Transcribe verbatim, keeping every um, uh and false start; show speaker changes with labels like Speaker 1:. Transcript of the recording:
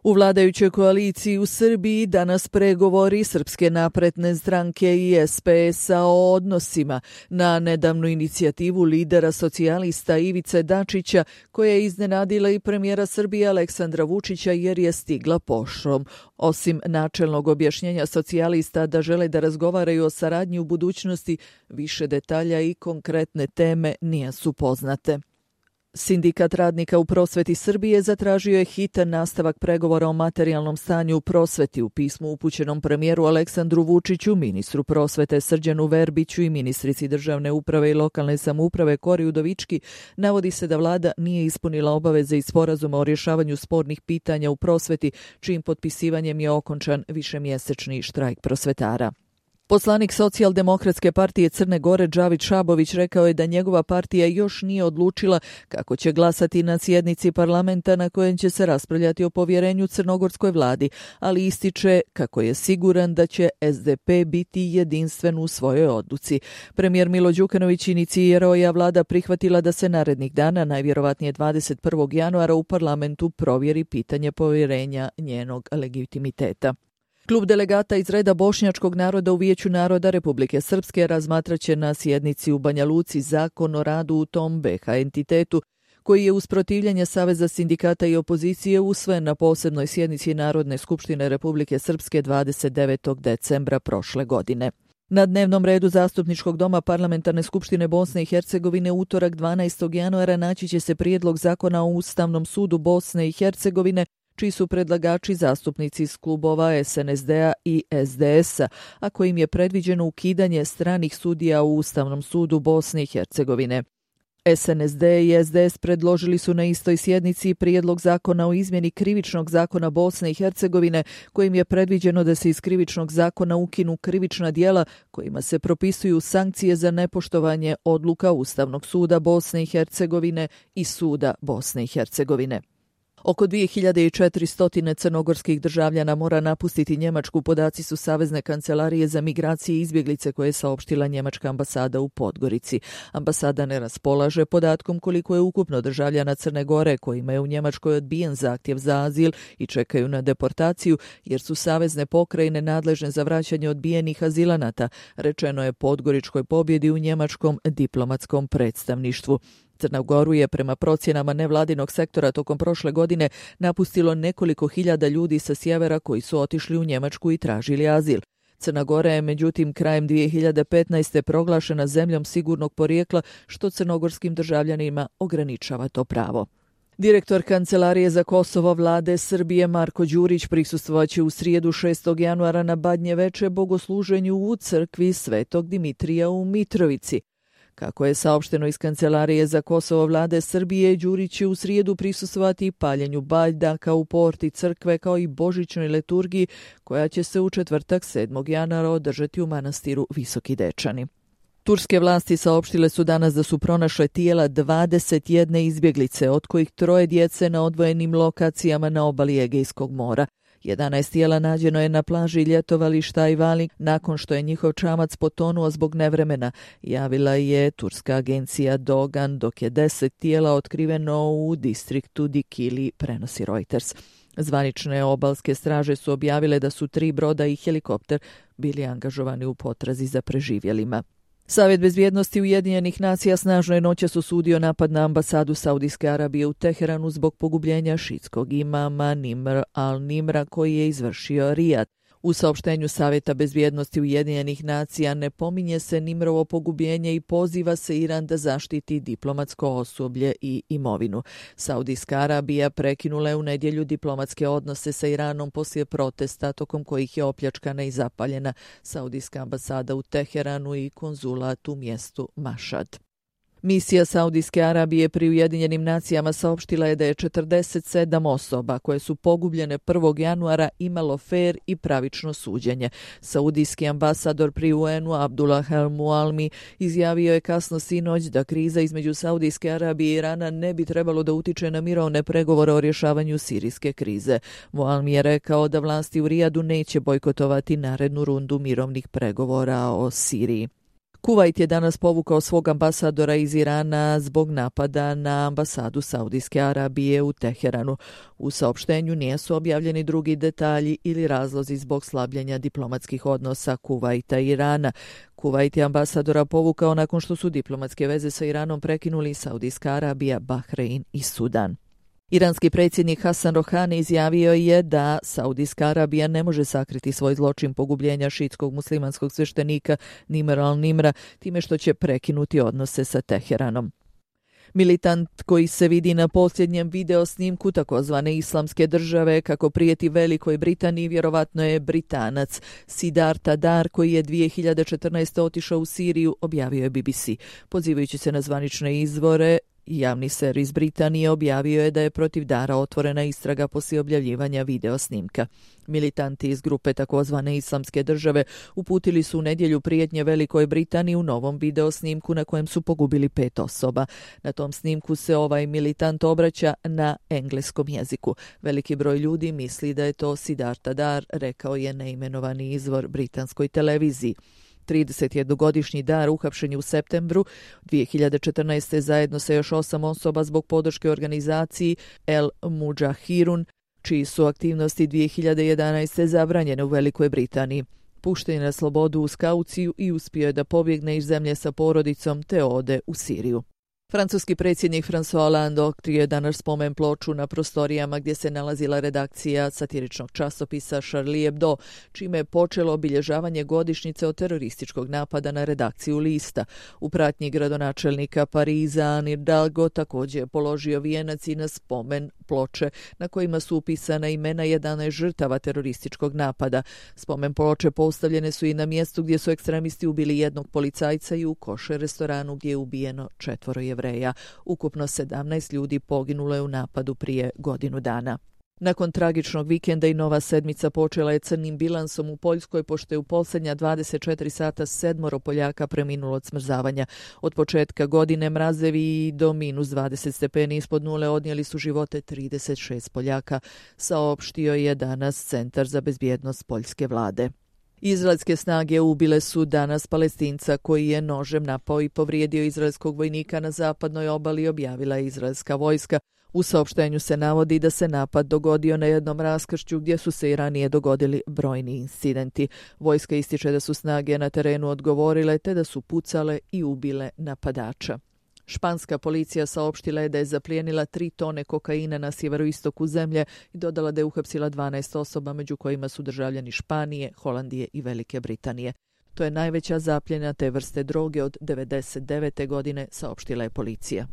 Speaker 1: U vladajućoj koaliciji u Srbiji danas pregovori Srpske napredne stranke i es pe es-a o odnosima na nedavnu inicijativu lidera socijalista Ivice Dačića, koja je iznenadila i premijera Srbije Aleksandra Vučića jer je stigla poštom. Osim načelnog objašnjenja socijalista da žele da razgovaraju o saradnji u budućnosti, više detalja i konkretne teme nisu poznate. Sindikat radnika u prosveti Srbije zatražio je hitan nastavak pregovora o materijalnom stanju u prosveti. U pismu upućenom premijeru Aleksandru Vučiću, ministru prosvete Srđanu Verbiću i ministrici državne uprave i lokalne samouprave Kori Udovički navodi se da vlada nije ispunila obaveze iz sporazuma o rješavanju spornih pitanja u prosveti, čijim potpisivanjem je okončan višemjesečni štrajk prosvetara. Poslanik Socijaldemokratske partije Crne Gore Džavić Šabović rekao je da njegova partija još nije odlučila kako će glasati na sjednici parlamenta na kojem će se raspravljati o povjerenju crnogorskoj vladi, ali ističe kako je siguran da će es de pe biti jedinstven u svojoj odluci. Premijer Milo Đukanović inicirao je, a vlada prihvatila da se narednih dana, najvjerovatnije dvadeset prvog januara, u parlamentu provjeri pitanje povjerenja njenog legitimiteta. Klub delegata iz reda bošnjačkog naroda u Vijeću naroda Republike Srpske razmatraće na sjednici u Banja Luci zakon o radu u tom be ha entitetu, koji je uz protivljenje Saveza sindikata i opozicije usvojen na posebnoj sjednici Narodne skupštine Republike Srpske dvadeset devetog decembra prošle godine. Na dnevnom redu Zastupničkog doma Parlamentarne skupštine Bosne i Hercegovine utorak dvanaestog januara naći će se prijedlog zakona o Ustavnom sudu Bosne i Hercegovine, čiji su predlagači zastupnici iz klubova es en es de-a i es de es-a, a kojim je predviđeno ukidanje stranih sudija u Ustavnom sudu Bosne i Hercegovine. es en es de i es de es predložili su na istoj sjednici prijedlog zakona o izmjeni Krivičnog zakona Bosne i Hercegovine, kojim je predviđeno da se iz Krivičnog zakona ukinu krivična djela kojima se propisuju sankcije za nepoštovanje odluka Ustavnog suda Bosne i Hercegovine i Suda Bosne i Hercegovine. Oko dvije hiljade četiristo crnogorskih državljana mora napustiti Njemačku, podaci su Savezne kancelarije za migracije i izbjeglice koje je saopštila njemačka ambasada u Podgorici. Ambasada ne raspolaže podatkom koliko je ukupno državljana Crne Gore kojima je u Njemačkoj odbijen zahtjev za azil i čekaju na deportaciju, jer su savezne pokrajine nadležne za vraćanje odbijenih azilanata, rečeno je Podgoričkoj pobjedi u njemačkom diplomatskom predstavništvu. Crnu Goru je prema procjenama nevladinog sektora tokom prošle godine napustilo nekoliko hiljada ljudi sa sjevera koji su otišli u Njemačku i tražili azil. Crna Gora je međutim krajem dvije hiljade petnaeste. proglašena zemljom sigurnog porijekla, što crnogorskim državljanima ograničava to pravo. Direktor Kancelarije za Kosovo vlade Srbije Marko Đurić prisustvovaće u srijedu šestog januara na Badnjeveče bogosluženju u crkvi Svetog Dimitrija u Mitrovici. Kako je saopšteno iz Kancelarije za Kosovo vlade Srbije, Đurić će u srijedu prisustvovati paljenju baljdaka u porti crkve kao i božićnoj liturgiji koja će se u četvrtak sedmog januara održati u manastiru Visoki Dečani. Turske vlasti saopštile su danas da su pronašle tijela dvadeset jedne izbjeglice, od kojih troje djece na odvojenim lokacijama na obali Egejskog mora. jedanaest tijela nađeno je na plaži ljetovališta Ajvali nakon što je njihov čamac potonuo zbog nevremena, javila je turska agencija Dogan, dok je deset tijela otkriveno u distriktu Dikili, prenosi Reuters. Zvanične obalske straže su objavile da su tri broda i helikopter bili angažovani u potrazi za preživjelima. Savjet bezbjednosti Ujedinjenih nacija snažno je noćas osudio napad na ambasadu Saudijske Arabije u Teheranu zbog pogubljenja šiitskog imama Nimr al-Nimra koji je izvršio Rijad. U saopštenju Savjeta bezbjednosti Ujedinjenih nacija ne pominje se Nimrovo pogubljenje i poziva se Iran da zaštiti diplomatsko osoblje i imovinu. Saudijska Arabija prekinula je u nedjelju diplomatske odnose sa Iranom poslije protesta tokom kojih je opljačkana i zapaljena Saudijska ambasada u Teheranu i konzulat u mjestu Mašad. Misija Saudijske Arabije pri Ujedinjenim nacijama saopštila je da je četrdeset sedam osoba koje su pogubljene prvog januara imalo fer i pravično suđenje. Saudijski ambasador pri u en-u Abdullah al-Mualmi izjavio je kasno sinoć da kriza između Saudijske Arabije i Irana ne bi trebalo da utiče na mirovne pregovore o rješavanju sirijske krize. Mualmi je rekao da vlasti u Rijadu neće bojkotovati narednu rundu mirovnih pregovora o Siriji. Kuvajt je danas povukao svog ambasadora iz Irana zbog napada na ambasadu Saudijske Arabije u Teheranu. U saopštenju nisu objavljeni drugi detalji ili razlozi zbog slabljenja diplomatskih odnosa Kuvajta i Irana. Kuvajt je ambasadora povukao nakon što su diplomatske veze sa Iranom prekinuli Saudijska Arabija, Bahrein i Sudan. Iranski predsjednik Hasan Rohani izjavio je da Saudijska Arabija ne može sakriti svoj zločin pogubljenja šiitskog muslimanskog sveštenika Nimra al-Nimra time što će prekinuti odnose sa Teheranom. Militant koji se vidi na posljednjem video snimku takozvane islamske države kako prijeti Velikoj Britaniji vjerovatno je Britanac Siddhartha Dar koji je dvije hiljade četrnaeste. otišao u Siriju, objavio je B B C. Pozivajući se na zvanične izvore, javni servis Britanije objavio je da je protiv Dara otvorena istraga poslije objavljivanja video snimka. Militanti iz grupe takozvane islamske države uputili su u nedjelju prijetnje Velikoj Britaniji u novom video snimku na kojem su pogubili pet osoba. Na tom snimku se ovaj militant obraća na engleskom jeziku. Veliki broj ljudi misli da je to Siddhartha Dar, rekao je neimenovani izvor britanskoj televiziji. tridesetjednogodišnji Dar uhapšen je u septembru dvije hiljade četrnaeste. zajedno sa još osam osoba zbog podrške organizaciji El Mudžahirun, čiji su aktivnosti dvije hiljade jedanaeste. zabranjene u Velikoj Britaniji. Pušten je na slobodu uz kauciju i uspio je da pobjegne iz zemlje sa porodicom te ode u Siriju. Francuski predsjednik François Hollande otkrio je danas spomen ploču na prostorijama gdje se nalazila redakcija satiričnog časopisa Charlie Hebdo, čime je počelo obilježavanje godišnjice od terorističkog napada na redakciju lista. U pratnji gradonačelnika Pariza Anne Hidalgo također je položio vijenac i na spomen ploče na kojima su upisana imena jedanaest žrtava terorističkog napada. Spomen ploče postavljene su i na mjestu gdje su ekstremisti ubili jednog policajca i u košer restoranu gdje je ubijeno četvoro Jevreja. Ukupno sedamnaest ljudi poginulo je u napadu prije godinu dana. Nakon tragičnog vikenda i nova sedmica počela je crnim bilansom u Poljskoj, pošto je u posljednja dvadeset četiri sata sedmoro Poljaka preminulo od smrzavanja. Od početka godine mrazevi do minus dvadeset stepeni ispod nule odnijeli su živote trideset šest Poljaka, saopštio je danas Centar za bezbjednost poljske vlade. Izraelske snage ubile su danas Palestinca koji je nožem napao i povrijedio izraelskog vojnika na zapadnoj obali, objavila je izraelska vojska. U saopštenju se navodi da se napad dogodio na jednom raskršću gdje su se i ranije dogodili brojni incidenti. Vojska ističe da su snage na terenu odgovorile te da su pucale i ubile napadača. Španska policija saopštila je da je zaplijenila tri tone kokaina na sjeveroistoku zemlje i dodala da je uhapsila dvanaest osoba, među kojima su državljani Španije, Holandije i Velike Britanije. To je najveća zapljena te vrste droge od devedeset devete. godine, saopštila je policija.